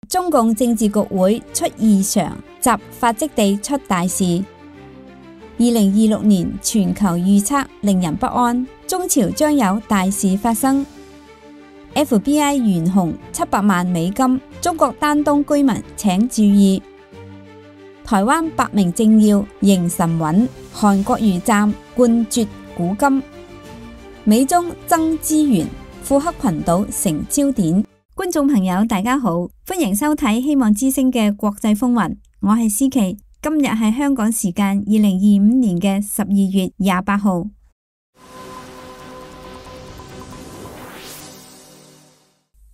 中共政治局會出異常，習發跡地出大事。2026年全球預測令人不安，中朝將有大事發生。FBI 懸紅700萬美金，中國丹東居民請注意。台灣8名政要仍神穩，韓國瑜暫灌啜古今。美中爭資源，庫克群島成焦點。觀眾朋友大家好，歡迎收睇希望之聲嘅國際風雲，我係思琪。今日係香港時間2025年嘅12月28號。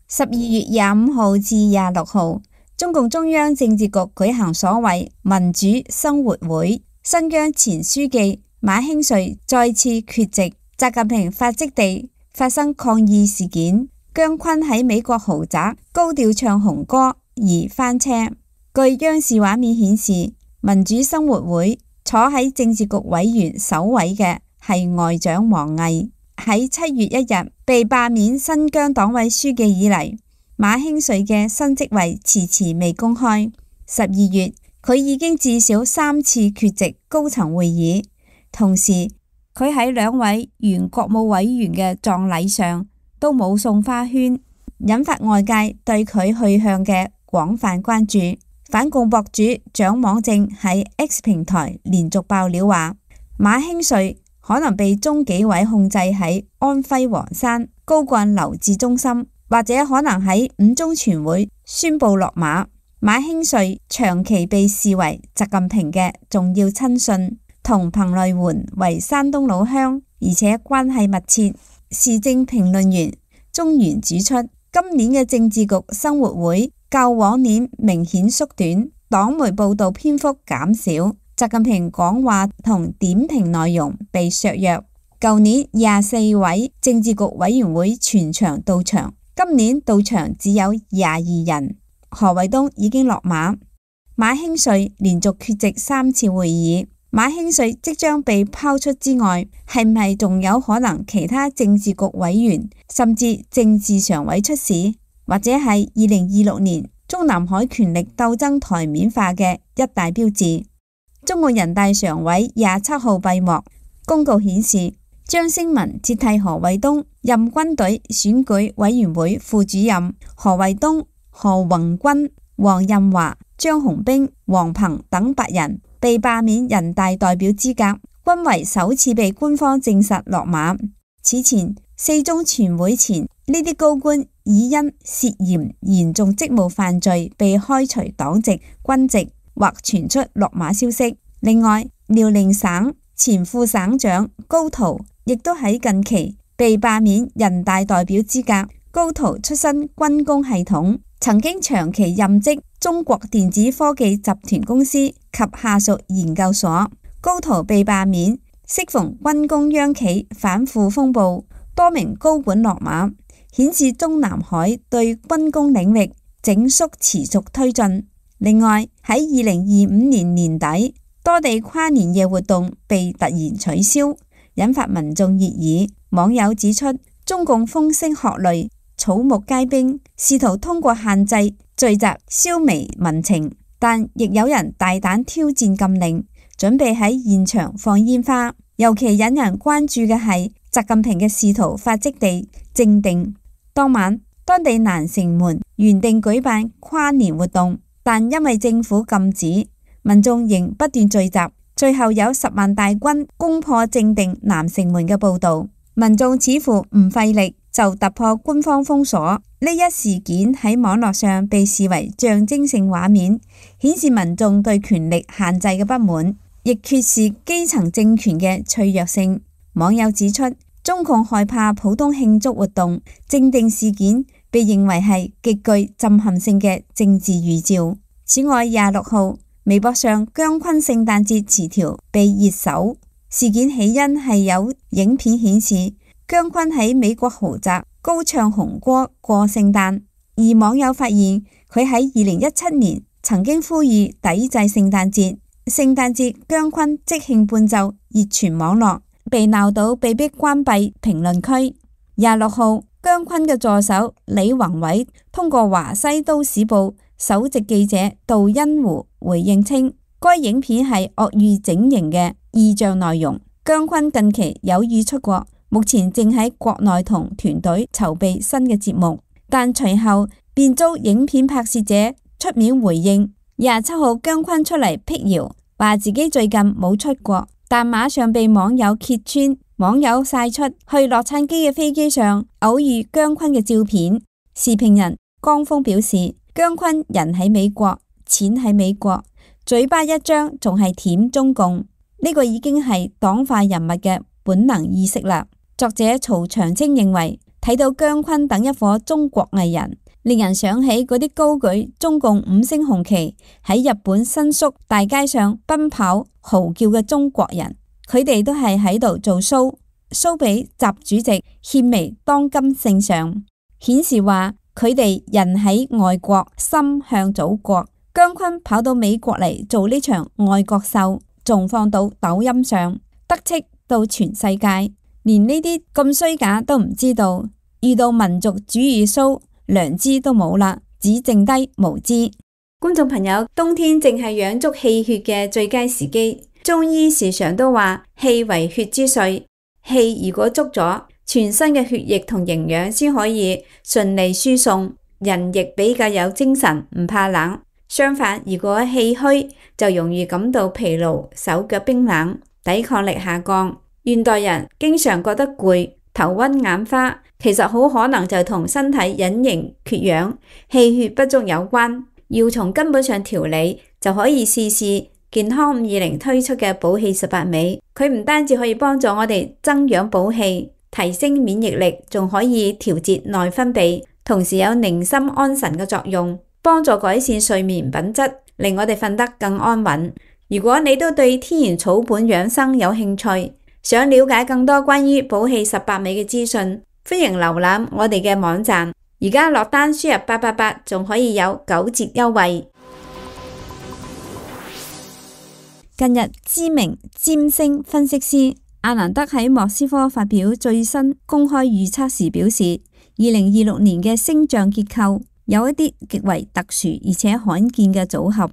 12月25號至26號，中共中央政治局舉行所謂民主生活會，新疆前書記馬興瑞再次缺席。習近平發跡地發生抗議事件，姜昆喺美國豪宅高調唱紅歌而翻車。據央視畫面顯示，民主生活會坐喺政治局委員首位嘅係外長王毅。喺7月1日被罷免新疆黨委書記以嚟，馬興瑞嘅新職位遲遲未公開。12月佢已經至少3次缺席高層會議，同時佢喺2位原國務委員嘅葬禮上都冇送花圈，引發外界對佢去向嘅廣泛關注。反共博主蔣網正喺 X 平台連續爆料話，馬興瑞可能被中紀委控制喺安徽黃山高幹留置中心，或者可能喺5中全會宣布落馬。馬興瑞長期被視為習近平嘅重要親信，同彭麗媛為山東老鄉，而且關係密切。時政評論員鍾原指出，今年嘅政治局生活會較往年明顯縮短，黨媒報道篇幅減少，習近平講話同點評內容被削弱。舊年24位政治局委員會全場到場，今年到場只有22人。何衛東已經落馬，馬興瑞連續缺席3次會議。馬興瑞即將被拋出之外，係唔係仲有可能其他政治局委員甚至政治常委出事，或者係2026年中南海權力鬥爭台面化嘅一大標誌？中共人大常委27號閉幕，公告顯示張星文接替何衛東任軍隊選舉委員會副主任，何衛東、何宏軍、黃任華、張洪兵、王鵬等8人被罷免人大代表資格，均為首次被官方證實落馬。此前4中全會前，呢啲高官已因涉嫌嚴重職務犯罪被開除黨籍、軍籍或傳出落馬消息。另外，遼寧省前副省長高濤亦都喺近期被罷免人大代表資格。高濤出身軍工系統，曾經長期任職中國電子科技集團公司及下屬研究所。高濤被罷免，適逢軍工央企反腐風暴，多名高管落馬，顯示中南海對軍工領域整肅持續推進。另外，喺2025年年底，多地跨年夜活動被突然取消，引發民眾熱議。網友指出，中共風聲鶴唳，草木皆兵，試圖通過限制聚集消弭民情，但亦有人大膽挑戰禁令，準備喺現場放煙花。尤其引人關注嘅係習近平嘅仕途發跡地正定。當晚，當地南城門原定舉辦跨年活動，但因為政府禁止，民眾仍不斷聚集，最後有10萬大軍攻破正定南城門嘅報道。民眾似乎唔費力就突破官方封鎖。呢一事件喺網絡上被視為象徵性畫面，顯示民眾對權力限制嘅不滿，亦揭示基層政權嘅脆弱性。網友指出，中共害怕普通慶祝活動，正定事件被認為係極具震撼性嘅政治預兆。此外，26號微博上姜昆聖誕節詞條被熱搜。事件起因係有影片顯示姜昆喺美國豪宅高唱紅歌過聖誕，而網友發現佢喺2017年曾經呼籲抵制聖誕節。聖誕節姜昆即興伴奏熱傳網絡，被鬧到被迫關閉評論區。26號姜昆嘅助手李宏偉通過華西都市報首席記者杜恩湖回應稱，該影片係惡意整形嘅意象內容。姜昆近期有意出國，目前正喺國內同團隊籌備新嘅節目，但隨後便遭影片拍攝者出面回應。27號姜昆出嚟闢謠，話自己最近冇出國，但馬上被網友揭穿。網友曬出去洛杉磯嘅飛機上偶遇姜昆嘅照片。時評人江峰表示，姜昆人喺美國，錢喺美國，嘴巴一張仲係舔中共，呢個已經係黨化人物嘅本能意識啦。作者曹長青認為，睇到姜昆等一夥中國藝人，令人想起嗰啲高舉中共5星紅旗喺日本新宿大街上奔跑嚎叫嘅中國人。佢哋都係喺度做 show 俾習主席獻媚當今聖上，顯示話佢哋人喺外國，心向祖國。姜昆跑到美國嚟做呢場愛國秀，仲放到抖音上，得戚到全世界，連呢啲咁衰假都唔知道，遇到民族主義 show，良知都冇啦，只剩低無知。觀眾朋友，冬天正係養足氣血嘅最佳時機。中醫時常都話氣為血之髓，氣如果足咗，全身嘅血液同營養先可以順利輸送，人亦比較有精神，唔怕冷。相反，如果氣虛，就容易感到疲勞，手腳冰冷，抵抗力下降。現代人經常覺得攰、頭暈眼花，其實好可能就同身體隱形缺氧、氣血不足有關。要從根本上調理，就可以試試健康520推出嘅補氣18味，佢唔單止可以幫助我哋增氧補氣、提升免疫力，仲可以調節內分泌，同時有寧心安神嘅作用，幫助改善睡眠品質，令我哋瞓得更安穩。如果你都對天然草本養生有興趣，想了解更多關於補氣18味嘅資訊，歡迎瀏覽我哋嘅網站。而家落單輸入888，仲可以有9折優惠。近日，知名占星分析師阿蘭德喺莫斯科發表最新公開預測時表示，2026年嘅星象結構有一啲極為特殊而且罕見嘅組合。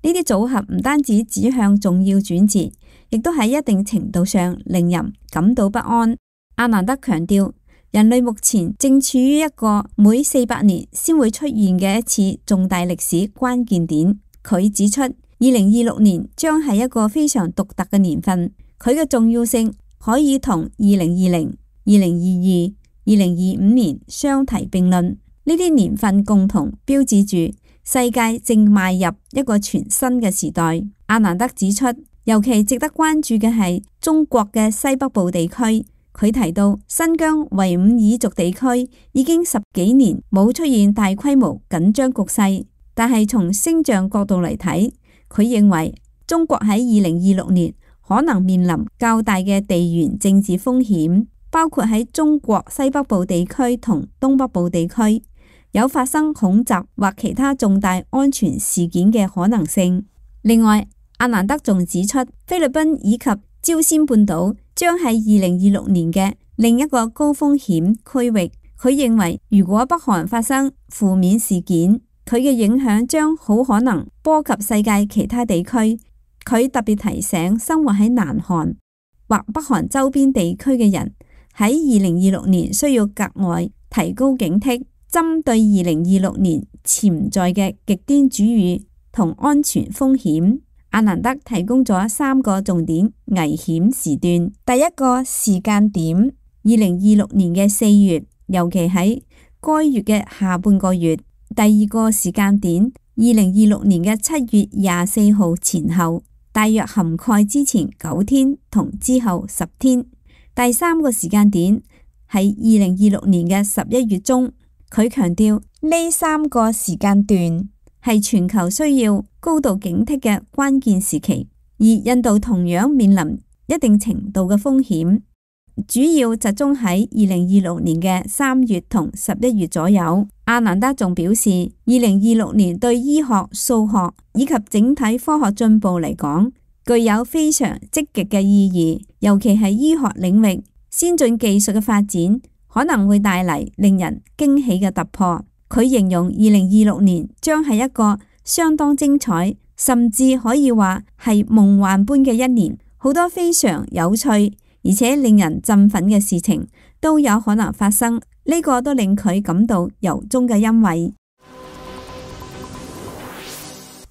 呢啲組合唔單止指向重要轉折，亦都喺一定程度上令人感到不安。阿蘭德強調，人類目前正處於一個每400年先會出現嘅一次重大歷史關鍵點。佢指出，2026年將係一個非常獨特嘅年份，佢嘅重要性可以同2020、2022、2025年相提並論。呢啲年份共同標誌住世界正邁入一個全新嘅時代。阿蘭德指出，尤其值得關注嘅係中國嘅西北部地區。佢提到，新疆維吾爾族地區已經10幾年冇出現大規模緊張局勢，但係從星象角度嚟睇，佢認為中國喺2026年可能面臨較大嘅地緣政治風險，包括喺中國西北部地區同東北部地區有發生恐襲或其他重大安全事件嘅可能性。另外，阿蘭德仲指出，菲律賓以及朝鮮半島將係2026年嘅另一個高風險區域。佢認為，如果北韓發生負面事件，佢嘅影響將好可能波及世界其他地區。佢特別提醒生活喺南韓或北韓周邊地區嘅人，喺2026年需要格外提高警惕，針對2026年潛在嘅極端主義同安全風險。阿蘭德提供咗3個重點危險時段。第一個時間點，2026年嘅4月，尤其喺該月嘅下半個月。第二個時間點，2026年嘅7月24號前後，大約涵蓋之前9天同之後10天。第三個時間點係2026年嘅11月中。佢強調呢3個時間段係全球需要高度警惕嘅關鍵時期，而印度同樣面臨一定程度嘅風險，主要集中喺2026年嘅3月同11月左右。阿蘭德仲表示，2026年對醫學、數學以及整體科學進步嚟講，具有非常積極嘅意義，尤其係醫學領域先進技術嘅發展可能會帶嚟令人驚喜嘅突破。佢形容2026年將係一個相當精彩，甚至可以話係夢幻般嘅一年，好多非常有趣而且令人振奮嘅事情都有可能發生，呢個都令佢感到由衷嘅欣慰。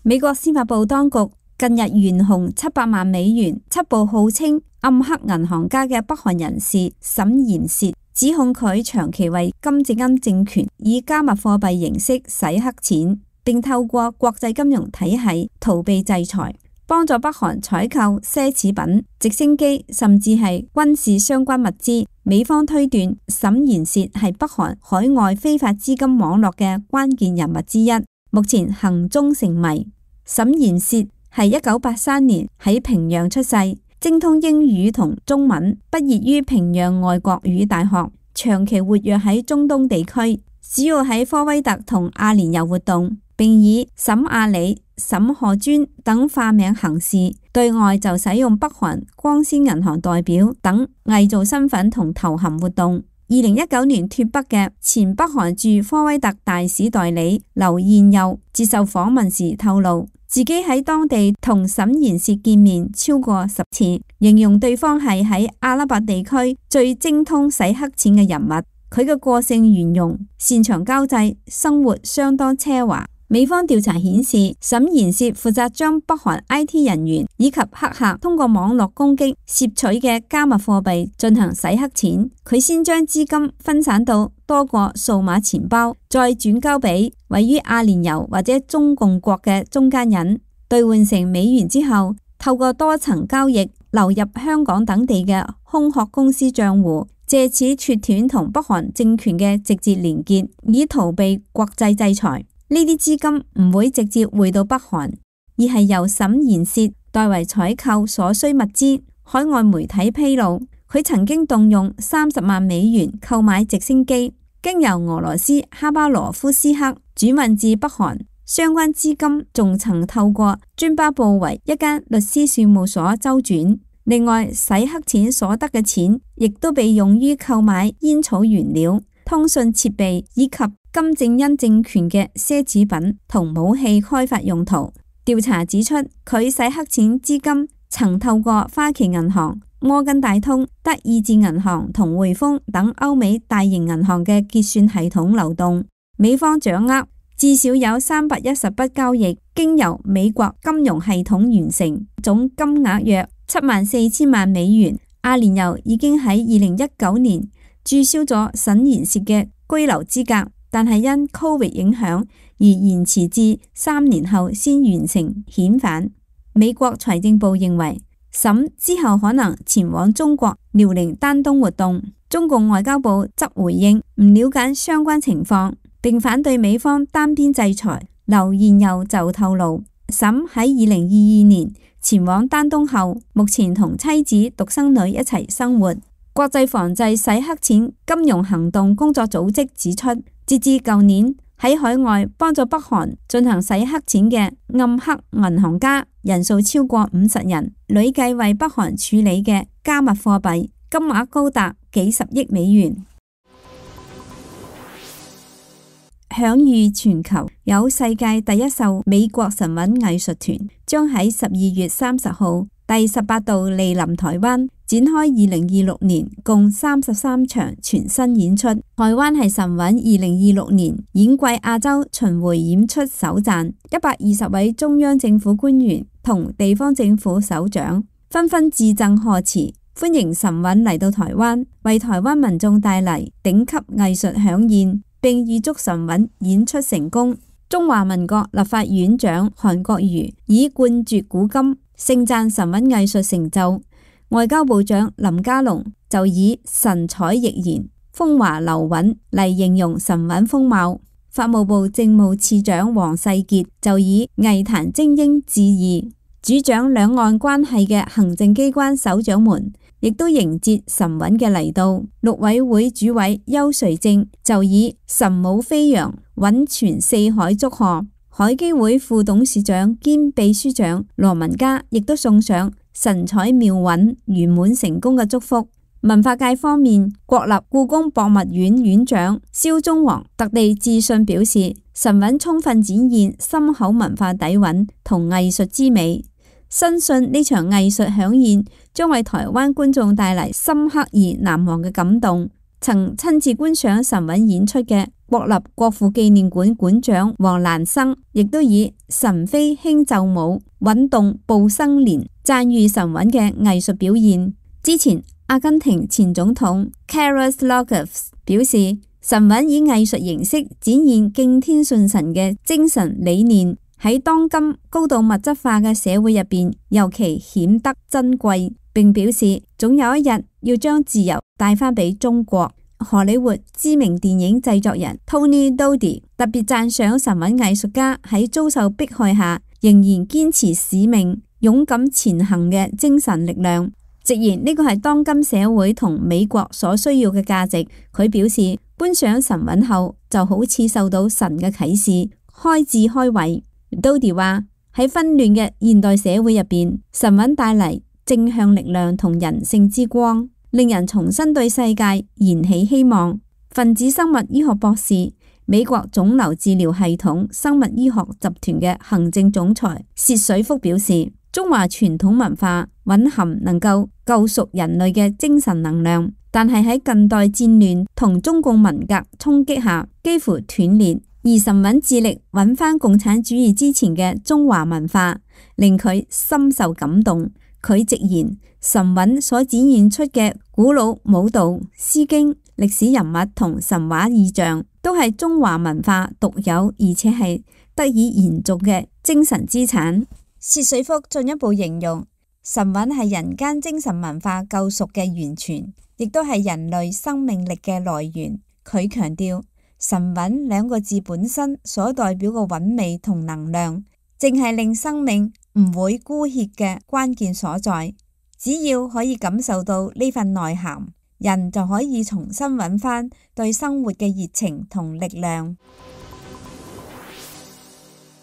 美國司法部當局近日懸紅700萬美元，緝捕號稱暗黑銀行家嘅北韓人士沈延薛，指控佢長期為金正恩政權以加密貨幣形式洗黑錢，並透過國際金融體系逃避制裁，幫助北韓採購奢侈品、直升機，甚至係軍事相關物資。美方推斷沈延薛係北韓海外非法資金網絡嘅關鍵人物之一，目前行蹤成謎。沈延薛係1983年喺平壤出世，精通英語同中文，畢業於平壤外國語大學，長期活躍喺中東地區，主要喺科威特同阿聯酋活動，並以沈亞里、沈賀尊等化名行事，對外就使用北韓光鮮銀行代表等偽造身份同頭銜活動。2019年脫北嘅前北韓駐科威特大使代理劉彥佑接受訪問時透露，自己喺當地同沈延薛見面超過10次，形容對方係喺阿拉伯地區最精通洗黑錢嘅人物。佢嘅個性圓融，擅長交際，生活相當奢華。美方調查顯示，沈延薛負責將北韓 IT 人員以及黑客通過網絡攻擊攝取嘅加密貨幣進行洗黑錢。佢先將資金分散到多個數碼錢包，再轉交俾位於阿聯酋或者中共國嘅中間人，兌換成美元之後，透過多層交易流入香港等地嘅空殼公司賬戶，借此切斷同北韓政權嘅直接連結，以逃避國際制裁。呢啲資金唔會直接匯到北韓，而係由沈延薛代為採購所需物資。海外媒體披露，佢曾經動用30萬美元購買直升機，經由俄羅斯哈巴羅夫斯克轉運至北韓。相關資金仲曾透過津巴布韋一間律師事務所周轉。另外，洗黑錢所得嘅錢亦都被用於購買煙草原料、通訊設備以及金正恩政權嘅奢侈品同武器開發用途。調查指出，佢洗黑錢資金曾透過花旗銀行、摩根大通、德意志銀行同匯豐等歐美大型銀行嘅結算系統流動。美方掌握至少有310筆交易經由美國金融系統完成，總金額約74000萬美元。阿聯酋已經喺2019年註銷咗沈延薛嘅居留資格，但係因 Covid 影響而延遲至3年後先完成遣返。美國財政部認為沈之後可能前往中國遼寧丹東活動。中共外交部則回應唔了解相關情況，並反對美方單邊制裁。劉彥佑就透露，沈喺2022年前往丹東後，目前同妻子獨生女一齊生活。國際防制洗黑錢金融行動工作組織指出，截至舊年喺海外幫助北韓進行洗黑錢嘅暗黑銀行家人數超過50人，累計為北韓處理嘅加密貨幣金額高達幾十億美元。享譽全球，有世界第一艘美國神韻藝術團將喺12月30號第18度蒞臨台灣，展開2026年共33場全新演出。台灣係神韻2026年演季亞洲巡迴演出首站，120位中央政府官員同地方政府首長紛紛致贈賀詞，歡迎神韻嚟到台灣，為台灣民眾帶嚟頂級藝術饗宴，並預祝神韻演出成功。中華民國立法院長韓國瑜以冠絕古今盛讚神韻藝術成就，外交部長林佳龍就以神采奕然、風華流韻嚟形容神韻風貌。法務部政務次長黃世傑就以藝壇精英致意。主掌兩岸關係嘅行政機關首長們亦都迎接神韻嘅嚟到。陸委會主委邱垂正就以神武飛揚、韻傳四海祝賀。海基會副董事長兼秘書長羅文嘉亦都送上神采妙韻、圓滿成功嘅祝福。文化界方面，國立故宮博物院院長蕭忠煌特地致信表示，神韻充分展現深厚文化底蘊同藝術之美，深信呢場藝術饗宴將為台灣觀眾帶嚟深刻而難忘嘅感動。曾親自觀賞神韻演出嘅國立國父紀念館館長黃蘭生，亦都以神飛輕奏舞，韻動步生蓮，讚譽神韻嘅藝術表現。之前，阿根廷前總統 Carlos López 表示，神韻以藝術形式展現敬天順神嘅精神理念，喺當今高度物質化嘅社會入邊，尤其顯得珍貴。並表示，總有一日要將自由帶返俾中國。荷里活知名電影製作人 Tony Doty 特別讚賞神韻藝術家喺遭受迫害下仍然堅持使命、勇敢前行嘅精神力量，直言呢個係當今社會同美國所需要嘅價值。佢表示，觀賞神韻後就好似受到神嘅啟示，開智開慧。Doty 話，喺紛亂嘅現代社會入邊，神韻帶嚟正向力量同人性之光，令人重新對世界燃起希望。分子生物醫學博士、美國腫瘤治療系統生物醫學集團嘅行政總裁薛水福表示，中華傳統文化蘊含能夠救贖人類嘅精神能量，但係喺近代戰亂同中共文革衝擊下幾乎斷裂。而神韻致力揾返共產主義之前嘅中華文化，令佢深受感動。佢直言，神韻所展現出嘅古老舞蹈、詩經、歷史人物同神話意象，都係中華文化獨有而且係得以延續嘅精神資產。薛水福進一步形容，神韻係人間精神文化救贖嘅源泉，亦都係人類生命力嘅來源。佢強調，神韻兩個字本身所代表嘅韻味同能量，正係令生命唔會枯竭嘅關鍵所在。只要可以感受到呢份內涵，人就可以重新揾返對生活嘅熱情同力量。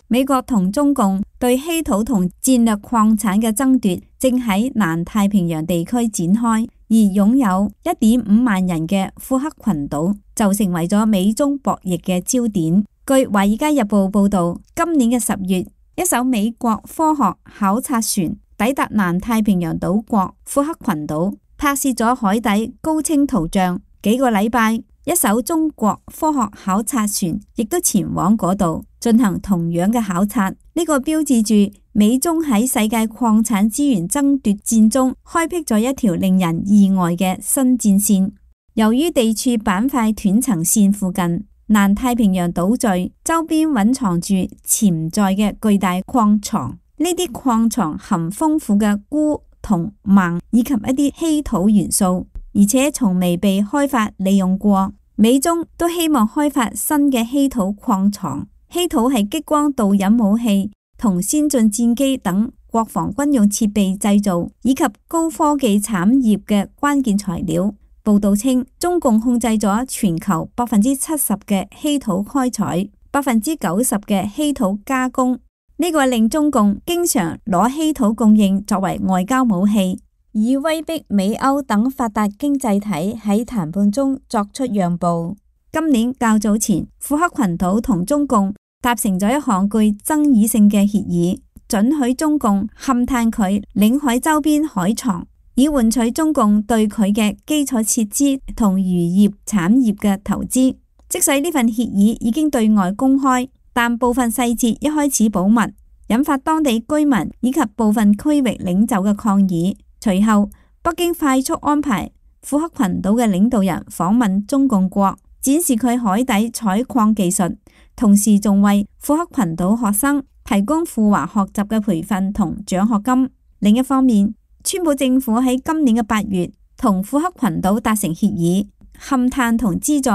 美國同中共對稀土同戰略礦產嘅爭奪正喺南太平洋地區展開，而擁有1.5萬人嘅庫克群島就成為咗美中博弈嘅焦點。據《華爾街日報》報道，今年嘅10月，一艘美國科學考察船抵達南太平洋島國庫克群島，拍攝咗海底高清圖像。幾個禮拜，一艘中國科學考察船亦都前往嗰度進行同樣嘅考察。呢個標誌住美中喺世界礦產資源爭奪戰中開闢咗一條令人意外嘅新戰線。由於地處板塊斷層線附近，南太平洋島嶼周邊蘊藏住潛在嘅巨大礦床，呢啲礦床含豐富嘅鈷同錳以及一啲稀土元素，而且從未被開發利用過。美中都希望開發新嘅稀土礦床。稀土係激光導引武器同先進戰機等國防軍用設備製造以及高科技產業嘅關鍵材料。報道稱，中共控制咗全球70%嘅稀土開採，90%嘅稀土加工。呢個令中共經常攞稀土供應作為外交武器，以威逼美歐等發達經濟體喺談判中作出讓步。今年較早前，庫克群島同中共達成咗一項具爭議性嘅協議，准許中共勘探佢領海周邊海床，以換取中共對佢嘅基礎設施同漁業產業嘅投資。即使呢份協議已經對外公開，但部分細節一開始保密，引發當地居民以及部分區域領袖嘅抗議。隨後，北京快速安排庫克群島嘅領導人訪問中共國，展示佢海底採礦技術，同時仲為庫克群島學生提供赴華學習嘅培訓同獎學金。另一方面，川普政府喺今年嘅8月同庫克群島達成協議，勘探同資助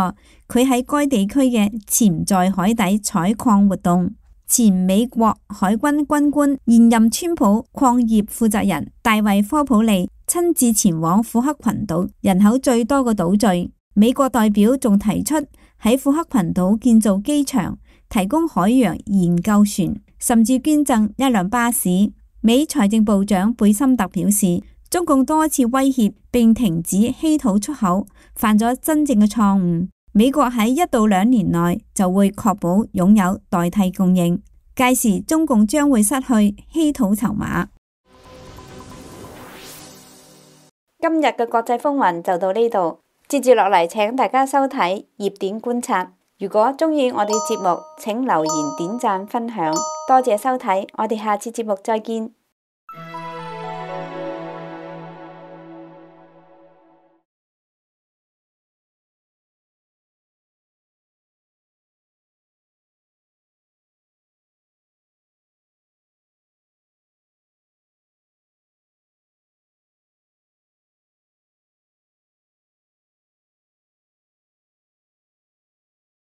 佢喺該地區嘅潛在海底採礦活動。前美國海軍軍官、現任川普礦業負責人大衛科普利親自前往庫克群島，人口最多嘅島嶼。美國代表仲提出喺庫克群島建造機場，提供海洋研究船，甚至捐贈一輛巴士。美財政部長貝森特表示，中共多次威脅並停止稀土出口，犯咗真正嘅錯誤。美國喺1到2年內就會確保擁有代替供應，屆時中共將會失去稀土籌碼。今日嘅國際風雲就到呢度，接住落嚟請大家收睇熱點觀察。如果鍾意我哋節目，請留言、點讚、分享，多謝收睇，我哋下次節目再見。